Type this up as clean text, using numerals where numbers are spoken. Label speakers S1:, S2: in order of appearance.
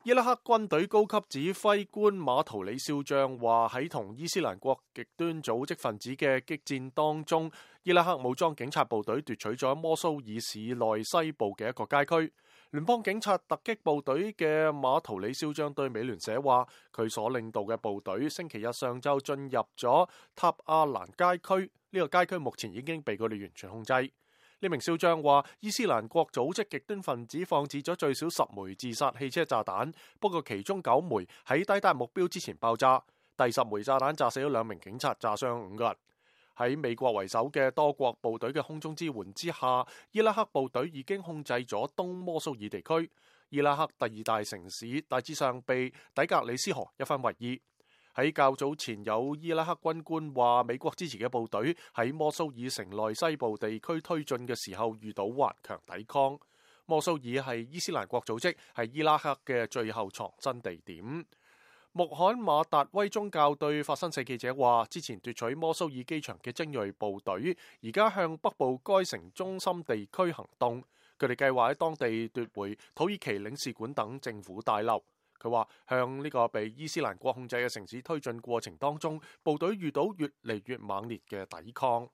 S1: 伊拉克軍隊高級指揮官馬圖里少將話，喺同伊斯蘭國極端組織分子嘅激戰當中，伊拉克武裝警察部隊奪取咗摩蘇爾市內西部嘅一個街區。聯邦警察突擊部隊嘅馬圖里少將對美聯社話，佢所領導嘅部隊星期日上晝進入咗塔亞蘭街區，呢個街區目前已經被佢哋完全控制。呢名少將話，伊斯蘭國組織極端分子放置咗最少10枚自殺汽車炸彈，不過其中9枚喺抵達目標之前爆炸，第10枚炸彈炸死咗2名警察，炸傷5個人。喺美國為首嘅多國部隊嘅空中支援之下，伊拉克部隊已經控制咗東摩蘇爾地區。伊拉克第2大城市大致上被底格里斯河一分為2。喺較早前，有伊拉克軍官話，美國支持嘅部隊喺摩蘇爾城內西部地區推進嘅時候遇到頑強抵抗。摩蘇爾係伊斯蘭國組織係伊拉克嘅最後藏身地點。穆罕馬達威宗教對法新社記者話，之前奪取摩蘇爾機場嘅精銳部隊而家向北部該城中心地區行動，佢哋計劃喺當地奪回土耳其領事館等政府大樓。佢話，向呢個被伊斯蘭國控制嘅城市推進過程當中，部隊遇到越嚟越猛烈嘅抵抗。